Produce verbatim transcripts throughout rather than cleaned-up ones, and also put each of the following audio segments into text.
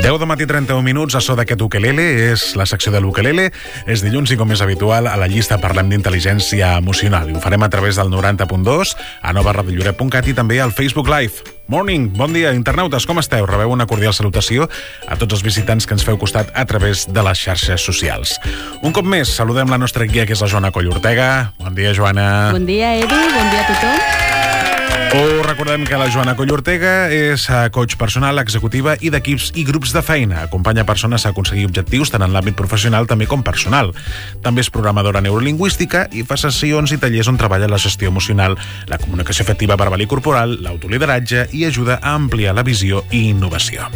deu de matí, trenta-un minuts, a so d'aquest ukelele, és la secció de l'ukelele. És dilluns i, com és habitual, a la llista parlem d'intel·ligència emocional. I ho farem a través del noranta punt dos, a nova ràdio lloret punt cat i també al Facebook Live. Morning, bon dia, internautes, com esteu? Rebeu una cordial salutació a tots els visitants que ens feu costat a través de les xarxes socials. Un cop més, saludem la nostra guia, que és la Joana Coll Ortega. Bon dia, Joana. Bon dia, Edu, bon dia a tothom. Us recordem que la Joana Coll Ortega és coach personal, executiva i d'equips i grups de feina. Acompanya persones a aconseguir objectius tant en l'àmbit professional també com personal. També és programadora neurolingüística i fa sessions i tallers on treballa la gestió emocional, la comunicació efectiva verbal i corporal, l'autolideratge i ajuda a ampliar la visió i innovació.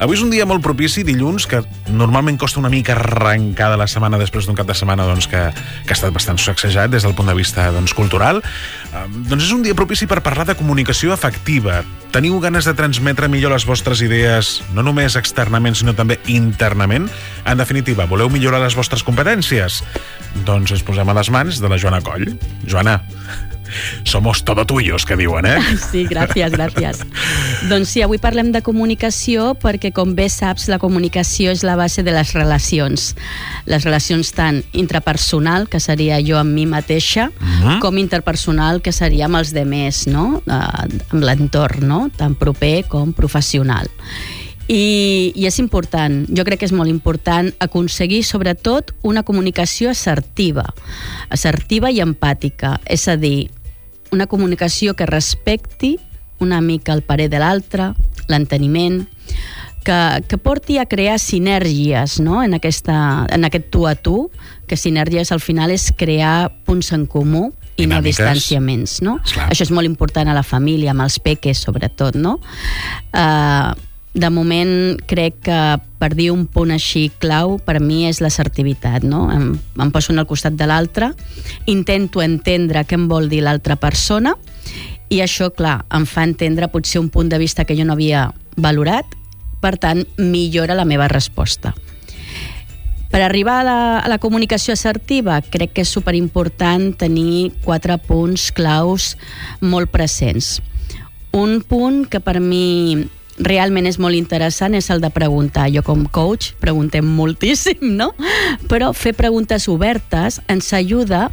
Avui és un dia molt propici, dilluns, que normalment costa una mica arrencar de la setmana després d'un cap de setmana doncs, que, que ha estat bastant sacsejat des del punt de vista doncs, cultural. Um, doncs és un dia propici per parlar de comunicació efectiva. Teniu ganes de transmetre millor les vostres idees, no només externament, sinó també internament? En definitiva, voleu millorar les vostres competències? Doncs ens posem a les mans de la Joana Coll. Joana, somos todo tuyos, que diuen, eh? Sí, gràcies, gràcies. Doncs sí, avui parlem de comunicació perquè, com bé saps, la comunicació és la base de les relacions. Les relacions tant intrapersonal, que seria jo amb mi mateixa, uh-huh. com interpersonal, que seria amb els demés, no? Amb l'entorn, no? Tant proper com professional. I, i és important, jo crec que és molt important aconseguir sobretot una comunicació assertiva, assertiva i empàtica, és a dir, una comunicació que respecti una mica el parer de l'altre, l'enteniment, que, que porti a crear sinergies, no? en, aquesta, en aquest tu a tu, que sinergies al final és crear punts en comú i no distanciaments, no? Això és molt important a la família, amb els peques sobretot, no? Uh, de moment crec que per dir un punt així clau per mi és l'assertivitat, no? Em, em poso en el costat de l'altre, intento entendre què em vol dir l'altra persona i això, clar, em fa entendre potser un punt de vista que jo no havia valorat, per tant, millora la meva resposta. Per arribar a la, a la comunicació assertiva, crec que és superimportant tenir quatre punts claus molt presents. Un punt que per mi realment és molt interessant és el de preguntar. Jo com coach preguntem moltíssim, no? Però fer preguntes obertes ens ajuda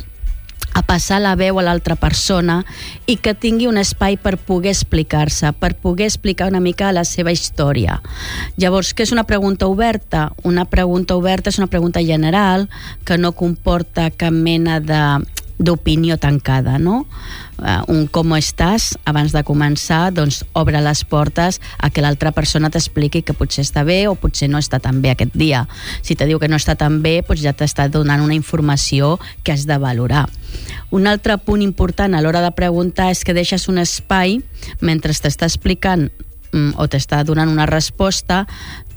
a passar la veu a l'altra persona i que tingui un espai per poder explicar-se, per poder explicar una mica la seva història. Llavors, què és una pregunta oberta? Una pregunta oberta és una pregunta general que no comporta cap mena de d'opinió tancada, no? Uh, un com estàs, abans de començar, doncs obre les portes a que l'altra persona t'expliqui que potser està bé o potser no està tan bé aquest dia. Si te diu que no està tan bé, doncs ja t'està donant una informació que has de valorar. Un altre punt important a l'hora de preguntar és que deixes un espai mentre t'està explicant mm, o t'està donant una resposta,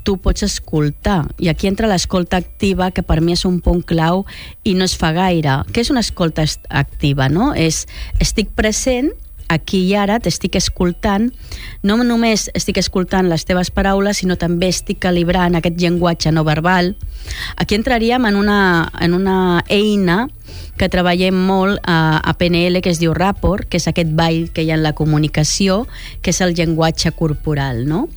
tu pots escoltar. I aquí entra l'escolta activa, que per mi és un punt clau i no es fa gaire. Què és una escolta activa, no? És, estic present, aquí i ara, t'estic escoltant, no només estic escoltant les teves paraules, sinó també estic calibrant aquest llenguatge no verbal. Aquí entraríem en una, en una eina que treballem molt a, a P N L, que es diu Rapport, que és aquest ball que hi ha en la comunicació, que és el llenguatge corporal, no?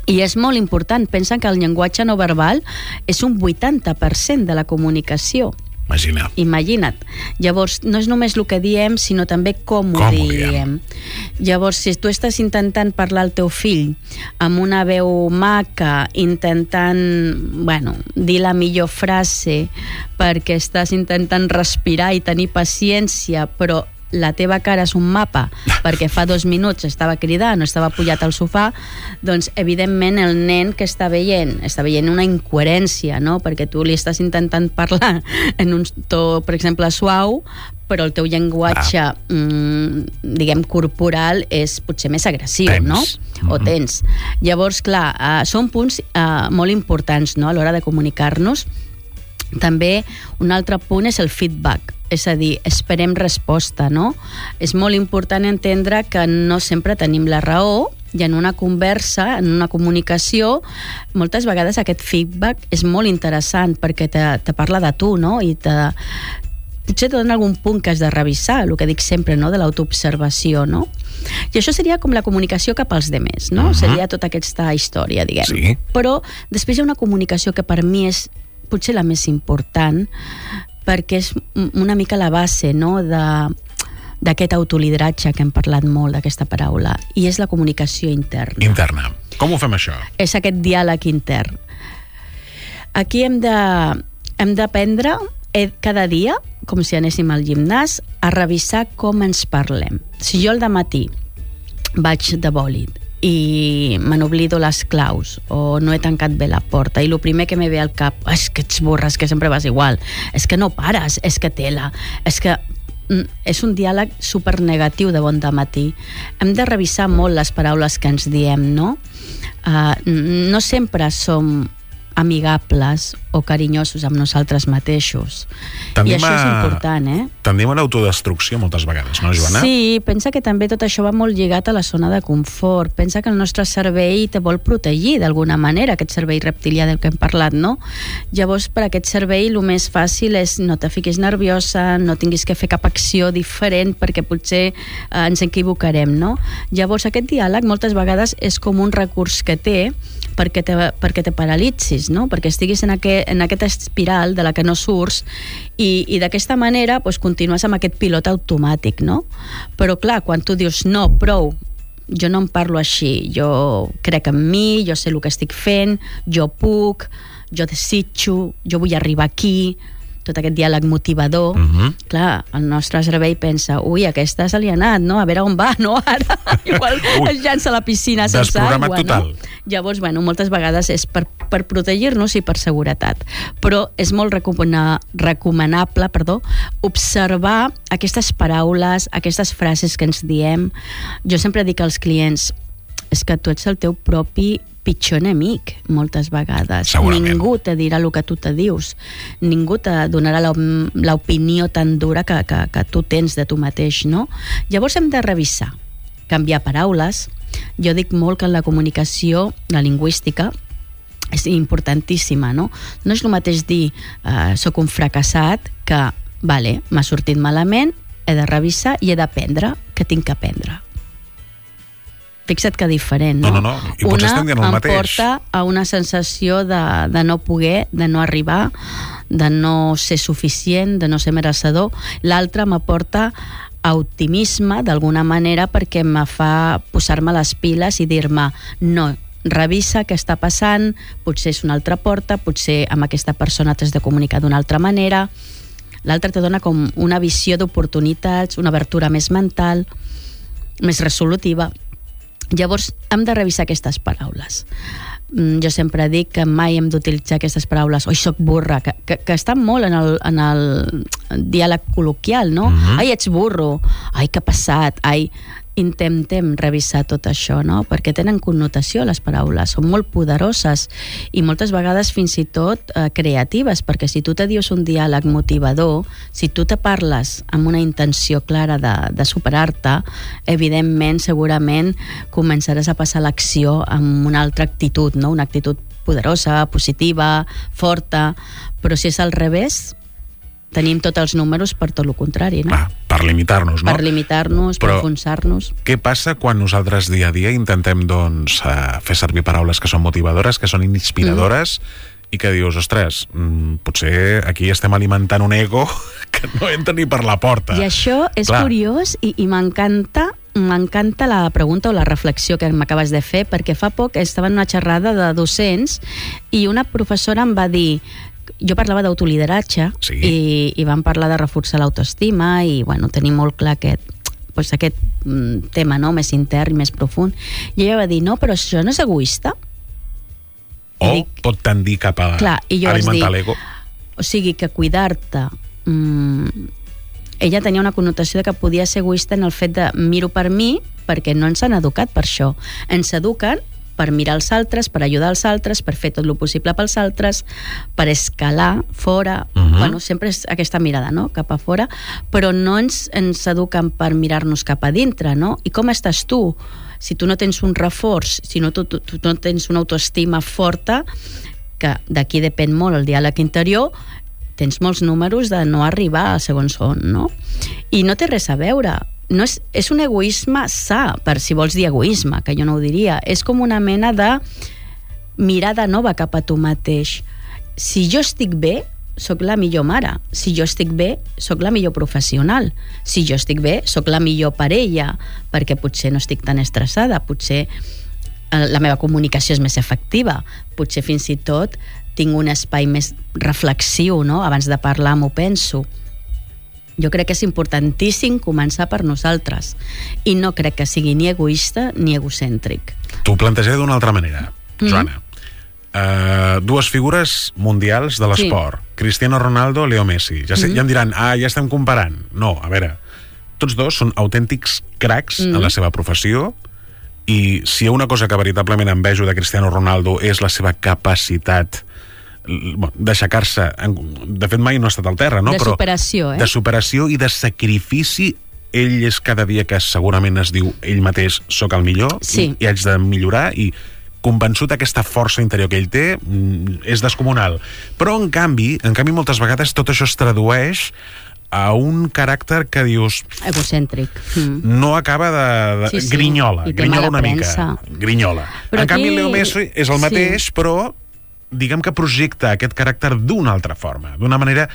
I és molt important, pensa que el llenguatge no verbal és un vuitanta per cent de la comunicació. Imagina. Imagina't. Llavors, no és només el que diem, sinó també com, com ho diem. diem. Llavors, si tu estàs intentant parlar al teu fill amb una veu maca, intentant, bueno, dir la millor frase, perquè estàs intentant respirar i tenir paciència, però la teva cara és un mapa perquè fa dos minuts estava cridant o estava pujat al sofà, doncs evidentment el nen que està veient està veient una incoherència, no? Perquè tu li estàs intentant parlar en un to, per exemple, suau, però el teu llenguatge ah. mmm, diguem corporal és potser més agressiu, tens. No? Mm-hmm. O tens. Llavors, clar, uh, són punts uh, molt importants, no? A l'hora de comunicar-nos. També un altre punt és el feedback, és a dir, esperem resposta, no? És molt important entendre que no sempre tenim la raó i en una conversa, en una comunicació, moltes vegades aquest feedback és molt interessant perquè te, te parla de tu, no? I te, potser et dona algun punt que has de revisar, el que dic sempre, no?, de l'autoobservació, no? I això seria com la comunicació cap als demés, no? Uh-huh. Seria tota aquesta història, diguem. Sí. Però després hi ha una comunicació que per mi és potser la més important, perquè és una mica la base, no?, de d'aquest autolideratge que hem parlat molt, d'aquesta paraula, i és la comunicació interna. Interna. Com ho fem, això? És aquest diàleg intern. Aquí hem de hem d'aprendre cada dia, com si anéssim al gimnàs, a revisar com ens parlem. Si jo al dematí vaig de bòlit i me n'oblido les claus o no he tancat bé la porta i el primer que me ve al cap és que ets burra, és que sempre vas igual, és que no pares, és que tela, és que és un diàleg supernegatiu de bon dematí. Hem de revisar molt les paraules que ens diem, no? Uh, no sempre som amigables o carinyosos amb nosaltres mateixos. Tendim I això a... és important, eh? Tendim a l'autodestrucció moltes vegades, no, Joana? Sí, pensa que també tot això va molt lligat a la zona de confort. Pensa que el nostre cervell te vol protegir d'alguna manera, aquest cervell reptilià del que hem parlat, no? Llavors, per aquest cervell, el més fàcil és no te fiquis nerviosa, no tinguis que fer cap acció diferent perquè potser eh, ens equivocarem, no? Llavors, aquest diàleg moltes vegades és com un recurs que té perquè te, perquè te paralitzis, no? Perquè estiguis en aquest, en aquesta espiral de la que no surts i, i d'aquesta manera pues, continues amb aquest pilot automàtic, no? Però clar, quan tu dius no, prou, jo no em parlo així, jo crec en mi, jo sé el que estic fent, jo puc, jo desitjo, jo vull arribar aquí, tot aquest diàleg motivador, uh-huh. Clar, el nostre cervell pensa, ui, aquesta se li ha anat, no? A veure on va, no? Ara igual es llança a la piscina sense aigua, total. No? Llavors, bueno, moltes vegades és per, per protegir-nos i per seguretat. Però és molt recomana, recomanable, perdó, observar aquestes paraules, aquestes frases que ens diem. Jo sempre dic als clients, és que tu ets el teu propi pitjor enemic, moltes vegades. Ningú te dirà el que tu te dius. Ningú te donarà l'opinió tan dura que, que, que tu tens de tu mateix, no? Llavors hem de revisar, canviar paraules. Jo dic molt que en la comunicació, la lingüística, és importantíssima, no? No és el mateix dir eh, soc un fracassat que, vale, m'ha sortit malament, he de revisar i he d'aprendre que tinc que aprendre. Fixa't que diferent, no? No, no, no. I potser estem dient el mateix. Una em porta a una sensació de, de no poder, de no arribar, de no ser suficient, de no ser merecedor. L'altra m'aporta a optimisme, d'alguna manera, perquè me fa posar-me les piles i dir-me no, revisa què està passant, potser és una altra porta, potser amb aquesta persona t'has de comunicar d'una altra manera. L'altra te dona com una visió d'oportunitats, una obertura més mental, més resolutiva. Llavors, hem de revisar aquestes paraules. Jo sempre dic que mai hem d'utilitzar aquestes paraules oi, soc burra, que, que, que estan molt en el, en el diàleg col·loquial, no? Uh-huh. Ai, ets burro, ai, que passat, ai... Intentem revisar tot això, no? Perquè tenen connotació les paraules, són molt poderoses i moltes vegades fins i tot eh, creatives, perquè si tu te dius un diàleg motivador, si tu te parles amb una intenció clara de, de superar-te, evidentment, segurament començaràs a passar l'acció amb una altra actitud, no? Una actitud poderosa, positiva, forta, però si és al revés, tenim tots els números per tot el contrari, no? Ah, per limitar-nos, no? Per limitar-nos, per enfonsar-nos. Què passa quan nosaltres dia a dia intentem, doncs, uh, fer servir paraules que són motivadores, que són inspiradores, mm. i que dius, ostres, mm, potser aquí estem alimentant un ego que no entra ni per la porta. I això és Clar. curiós i, i m'encanta m'encanta la pregunta o la reflexió que m'acabes de fer, perquè fa poc estava en una xerrada de docents i una professora em va dir, jo parlava d'autolideratge, sí. i, i vam parlar de reforçar l'autoestima i bueno, tenim molt clar aquest, pues, aquest mm, tema, no? Més intern i més profund. I ella va dir, no, però això no és egoista? O dic, pot tendir cap a clar, alimentar l'ego. O sigui, que cuidar-te... Mm, ella tenia una connotació de que podia ser egoista en el fet de miro per mi, perquè no ens han educat per això. Ens eduquen per mirar els altres, per ajudar els altres, per fer tot el possible pels altres, per escalar fora, uh-huh. bueno, sempre és aquesta mirada, no?, cap a fora, però no ens, ens eduquen per mirar-nos cap a dintre, no? I com estàs tu? Si tu no tens un reforç, si no, tu, tu, tu no tens una autoestima forta, que d'aquí depèn molt el diàleg interior, tens molts números de no arribar al segon son, no? I no té res a veure. No és, és un egoisme sa, per si vols dir egoisme, que jo no ho diria. És com una mena de mirada nova cap a tu mateix. Si jo estic bé, sóc la millor mare. Si jo estic bé, sóc la millor professional. Si jo estic bé, sóc la millor parella, perquè potser no estic tan estressada, potser la meva comunicació és més efectiva, potser fins i tot tinc un espai més reflexiu, no? Abans de parlar m'ho penso. Jo crec que és importantíssim començar per nosaltres i no crec que sigui ni egoista ni egocèntric. T'ho plantejaré d'una altra manera, Joana. Mm. Uh, dues figures mundials de l'esport, sí. Cristiano Ronaldo, Leo Messi. Ja, sé, mm. ja em diran, ah, ja estem comparant. No, a veure, tots dos són autèntics cracs mm. en la seva professió i si hi ha una cosa que veritablement envejo de Cristiano Ronaldo és la seva capacitat d'aixecar-se, de fet mai no ha estat al terra, no? De superació, Però eh? De superació i de sacrifici. Ell és cada dia que segurament es diu ell mateix soc el millor, sí. i, i haig de millorar, i convençut aquesta força interior que ell té és descomunal. Però en canvi, en canvi moltes vegades tot això es tradueix a un caràcter que dius... egocèntric. Mm. No acaba de... de sí, sí. Grinyola, grinyola una premsa. mica. Grinyola. Però en aquí... canvi, Leo Messi és el mateix, sí. però diguem que projecta aquest caràcter d'una altra forma, d'una manera...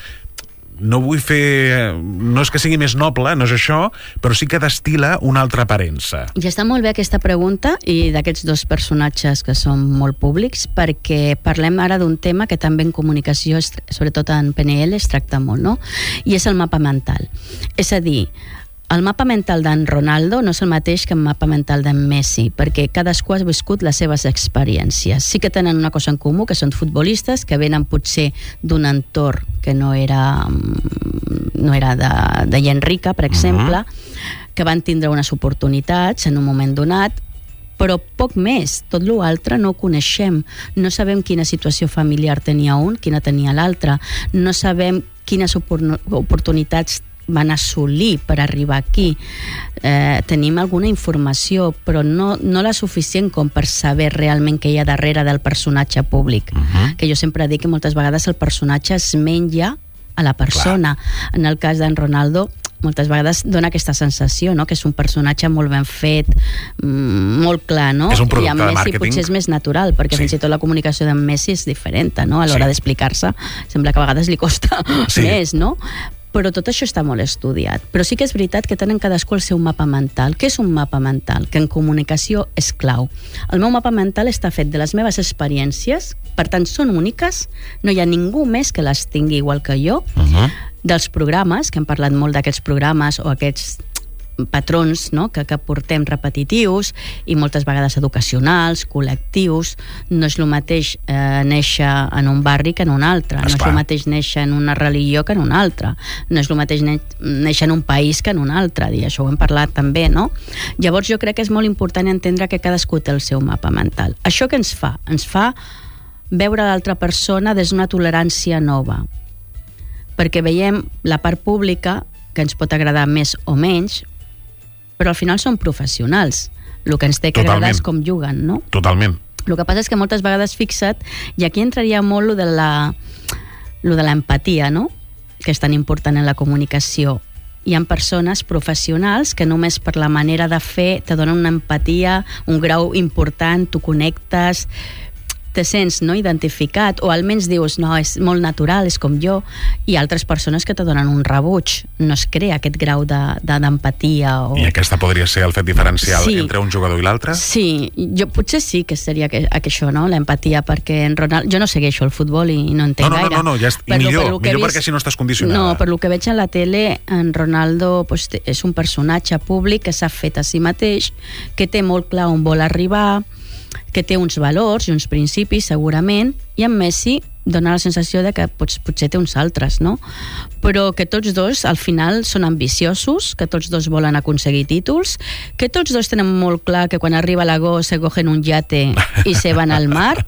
No vull fer... No és que sigui més noble, no és això, però sí que destila una altra aparença. I està molt bé aquesta pregunta i d'aquests dos personatges que són molt públics, perquè parlem ara d'un tema que també en comunicació, sobretot en P N L, es tracta molt, no? I és el mapa mental. És a dir, el mapa mental d'en Ronaldo no és el mateix que el mapa mental d'en Messi, perquè cadascú ha viscut les seves experiències. Sí que tenen una cosa en comú, que són futbolistes, que venen potser d'un entorn que no era, no era de, de gent rica, per exemple, uh-huh. que van tindre unes oportunitats en un moment donat, però poc més. Tot l'altre no ho coneixem. No sabem quina situació familiar tenia un, quina tenia l'altre. No sabem quines oportunitats van assolir per arribar aquí. Eh, tenim alguna informació, però no, no la suficient com per saber realment què hi ha darrere del personatge públic. Uh-huh. Que jo sempre dic que moltes vegades el personatge es menja a la persona. Clar. En el cas d'en Ronaldo, moltes vegades dona aquesta sensació, no? Que és un personatge molt ben fet, molt clar, no? És un producte I amb de Messi màrqueting. Potser és més natural, perquè sí. Fins i tot la comunicació d'en Messi és diferent, no? A l'hora sí. d'explicar-se, sembla que a vegades li costa sí. més, no? Però tot això està molt estudiat. Però sí que és veritat que tenen cadascú el seu mapa mental. Què és un mapa mental? Que en comunicació és clau. El meu mapa mental està fet de les meves experiències, per tant són úniques, no hi ha ningú més que les tingui igual que jo, uh-huh. dels programes, que hem parlat molt d'aquests programes o aquests patrons, no? que, que portem repetitius i moltes vegades educacionals, col·lectius. No és el mateix eh, néixer en un barri que en un altre. Esclar. No és el mateix néixer en una religió que en un altre. No és el mateix néixer en un país que en un altre. I això ho hem parlat també, no? Llavors jo crec que és molt important entendre que cadascú té el seu mapa mental. Això què ens fa? Ens fa veure l'altra persona des d'una tolerància nova. Perquè veiem la part pública, que ens pot agradar més o menys, però al final són professionals. El que ens té que agradar és com juguen, no? Totalment. El que passa és que moltes vegades, fixa't, i aquí entraria molt lo de la, lo de l'empatia, no? Que és tan important en la comunicació. Hi ha persones professionals que només per la manera de fer te donen una empatia, un grau important, tu connectes, te sents no, identificat, o almenys dius, no, és molt natural, és com jo, i altres persones que te donen un rebuig. No es crea aquest grau de, de, d'empatia. O... I aquesta podria ser el fet diferencial sí. entre un jugador i l'altre? Sí, jo potser sí que seria que, que això, no? L'empatia, perquè en Ronald... Jo no segueixo el futbol i no entenc no, no, gaire. No, no, no, ja és... I millor, millor vist... perquè si no estàs condicionada. No, per lo que veig a la tele, en Ronaldo pues, és un personatge públic que s'ha fet a si mateix, que té molt clar on vol arribar, que té uns valors i uns principis, segurament, i en Messi dona la sensació de que pots, potser té uns altres, no? Però que tots dos, al final, són ambiciosos, que tots dos volen aconseguir títols, que tots dos tenen molt clar que quan arriba l'agost se cogen un yate i se van al mar,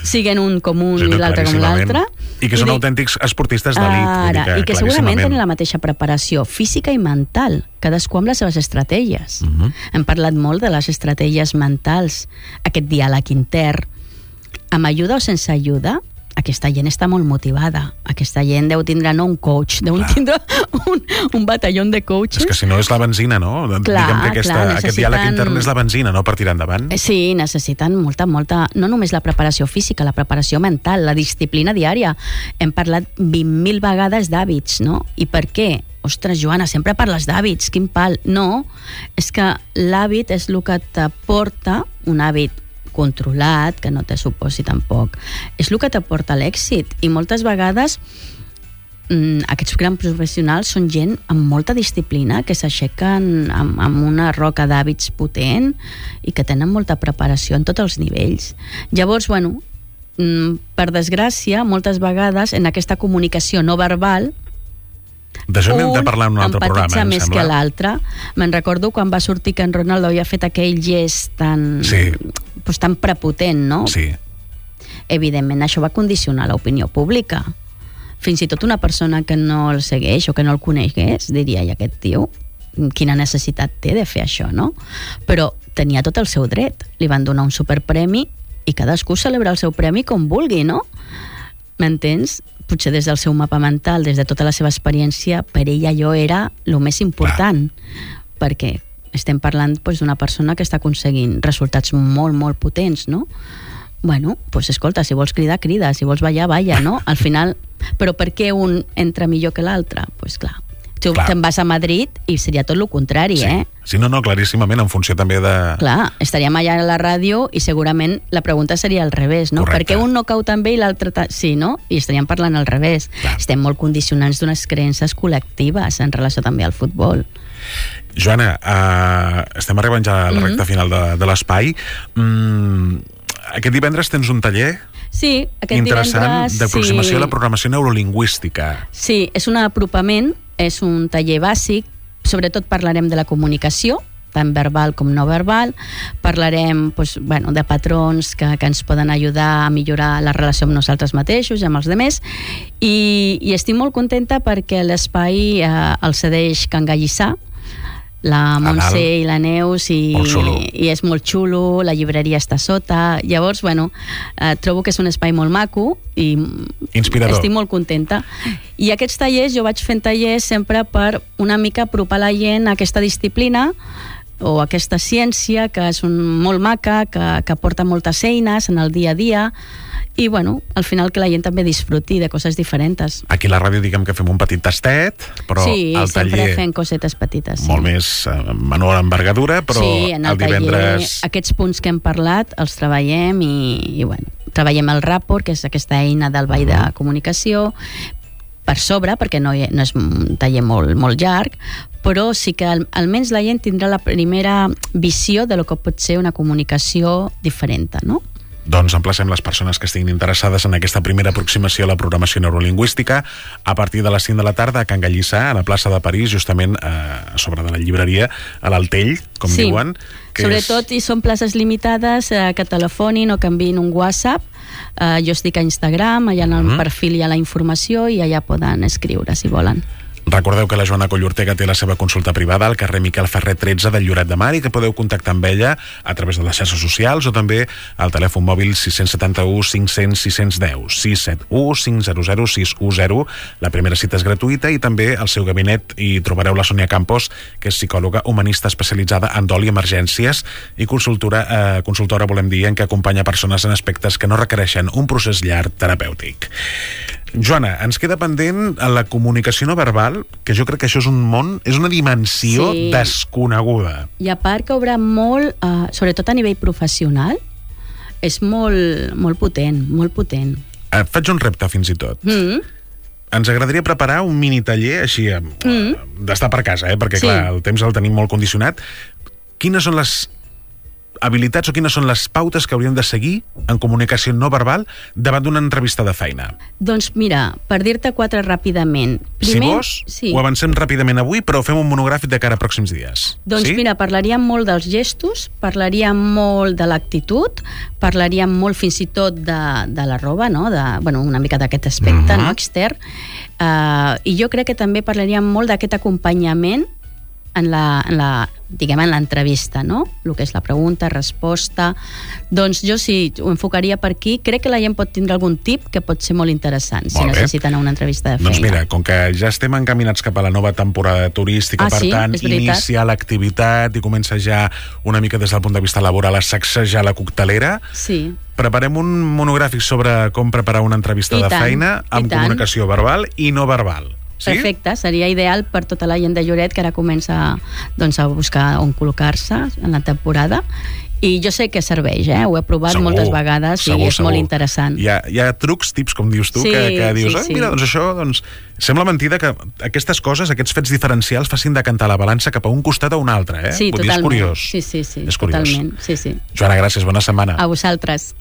siguen un com un sí, i l'altre com l'altre. I que són I autèntics esportistes d'elit. Ara, que, i que segurament tenen la mateixa preparació física i mental, cadascú amb les seves estratègies. Uh-huh. Hem parlat molt de les estratègies mentals, aquest diàleg intern, amb ajuda o sense ajuda. aquesta gent està molt motivada. Aquesta gent deu tindre no un coach, deu clar. tindre un, un batalló de coaches. És que si no és la benzina, no? Clar, Diguem que aquesta, clar, necessiten... aquest diàleg intern és la benzina, no?, per tirar endavant. Sí, necessiten molta, molta... No només la preparació física, la preparació mental, la disciplina diària. Hem parlat vint mil vegades d'hàbits, no? I per què? Ostres, Joana, sempre parles d'hàbits, quin pal. No, és que l'hàbit és el que t'aporta, un hàbit controlat, que no te suposi tampoc, és el que t'aporta l'èxit. I moltes vegades mmm, aquests grans professionals són gent amb molta disciplina, que s'aixequen amb, amb una roca d'hàbits potent i que tenen molta preparació en tots els nivells. Llavors, bueno, mmm, per desgràcia, moltes vegades en aquesta comunicació no verbal d'això n'hem de parlar en un altre programa, em més sembla. que l'altre. Me'n recordo quan va sortir que en Ronaldo havia fet aquell gest tan, sí. pues, tan prepotent, no? Sí. Evidentment, això va condicionar l'opinió pública. Fins i tot una persona que no el segueix o que no el conegués diria, i aquest tio, quina necessitat té de fer això, no? Però tenia tot el seu dret. Li van donar un superpremi i cadascú celebra el seu premi com vulgui, no? M'entens? Potser des del seu mapa mental, des de tota la seva experiència, per ell allò era el més important. Clar. Perquè estem parlant doncs, d'una persona que està aconseguint resultats molt, molt potents, no? Bueno, doncs escolta, si vols cridar, crida, si vols ballar, balla, no? Al final, però per què un entra millor que l'altre? Doncs pues clar, tu clar. te'n vas a Madrid i seria tot el contrari, sí. eh? Sí, no, no, claríssimament, en funció també de... Clar, estaríem allà a la ràdio i segurament la pregunta seria al revés, no? Correcte. Per què un no cau tan bé i l'altre... Ta... Sí, no? I estaríem parlant al revés. Clar. Estem molt condicionants d'unes creences col·lectives en relació també al futbol. Joana, uh, estem arribant ja a la recta mm-hmm. final de, de l'espai. Mm, aquest divendres tens un taller... Sí, aquest interessant divendres... d'aproximació sí. a la programació neurolingüística. Sí, és un apropament, és un taller bàsic, sobretot parlarem de la comunicació, tant verbal com no verbal, parlarem doncs, bueno, de patrons que, que ens poden ajudar a millorar la relació amb nosaltres mateixos i amb els altres, i, i estic molt contenta perquè l'espai eh, el cedeix Can Gallissà, la Montse i la Neus, i, i és molt xulo, la llibreria està sota. Llavors, bueno, eh, trobo que és un espai molt maco i inspirador. Estic molt contenta. I aquests tallers, jo vaig fent tallers sempre per una mica apropar la gent a aquesta disciplina o aquesta ciència que és un, molt maca, que, que porta moltes eines en el dia a dia, i bueno, al final que la gent també disfruti de coses diferents. Aquí a la ràdio diguem que fem un petit tastet, però sí, al taller... sempre fem cosetes petites. Sí. Molt més uh, menor envergadura, però sí, en el, el divendres... Taller, aquests punts que hem parlat els treballem i, i bueno, treballem el Rapport, que és aquesta eina del ball uh-huh. de comunicació, per sobre, perquè no, hi, no és un taller molt, molt llarg, però sí que al, almenys la gent tindrà la primera visió de lo que pot ser una comunicació diferent, no? Doncs emplacem les persones que estiguin interessades en aquesta primera aproximació a la programació neurolingüística a partir de les cinc de la tarda a Can Gallissà, a la plaça de París, justament eh, a sobre de la llibreria, a l'Altell, com sí. diuen. Que sobretot, és... i són places limitades, eh, que telefonin o que enviïn un WhatsApp. Eh, jo estic a Instagram, allà en el uh-huh. perfil hi ha la informació i allà poden escriure, si volen. Recordeu que la Joana Collortega té la seva consulta privada al carrer Miquel Ferrer tretze del Lloret de Mar i que podeu contactar amb ella a través de les xarxes socials o també al telèfon mòbil sis set u cinc cents sis cents deu, sis set u cinc zero zero sis u zero. La primera cita és gratuïta i també al seu gabinet hi trobareu la Sònia Campos, que és psicòloga humanista especialitzada en dol i emergències i consultora, eh, consultora, volem dir, en què acompanya persones en aspectes que no requereixen un procés llarg terapèutic. Joana, ens queda pendent la comunicació no verbal, que jo crec que això és un món, és una dimensió sí. desconeguda. I a part que obre molt, uh, sobretot a nivell professional, és molt, molt potent, molt potent. Et faig un repte fins i tot. Mm. Ens agradaria preparar un mini taller així, mm. d'estar per casa, eh? perquè sí. clar, el temps el tenim molt condicionat. Quines són les habilitats o quines són les pautes que hauríem de seguir en comunicació no verbal davant d'una entrevista de feina? Doncs mira, per dir-te quatre ràpidament. Primer, si vols, sí. ho avancem ràpidament avui, però fem un monogràfic de cara a pròxims dies. Doncs sí? mira, parlaríem molt dels gestos, parlaríem molt de l'actitud, parlaríem molt fins i tot de, de la roba, no? de, bueno, una mica d'aquest aspecte uh-huh. no? extern. Uh, I jo crec que també parlaríem molt d'aquest acompanyament en la, en la diguem, en l'entrevista, no? El que és la pregunta, resposta. Doncs jo sí, ho enfocaria per aquí. Crec que la gent pot tindre algun tip que pot ser molt interessant, si necessiten una entrevista de feina. Doncs mira, com que ja estem encaminats cap a la nova temporada turística, ah, per sí? tant, inicia l'activitat i comença ja una mica des del punt de vista laboral a sacsejar la coctelera. Sí. Preparem un monogràfic sobre com preparar una entrevista I de tant, feina amb comunicació verbal i no verbal. Sí? Perfecte, seria ideal per tota la gent de Lloret que ara comença doncs, a buscar on col·locar-se en la temporada. I jo sé que serveix, eh? Ho he provat segur, moltes vegades segur, i és segur. molt interessant. Hi ha, hi ha trucs, tips, com dius tu, sí, que, que dius, sí, sí. ah, mira, doncs això, doncs, sembla mentida que aquestes coses, aquests fets diferencials facin decantar la balança cap a un costat o un altre, eh? Sí, Vull totalment. dir, és curiós. Sí, sí, sí, és curiós. totalment. Sí, sí. Joana, gràcies, bona setmana. A vosaltres.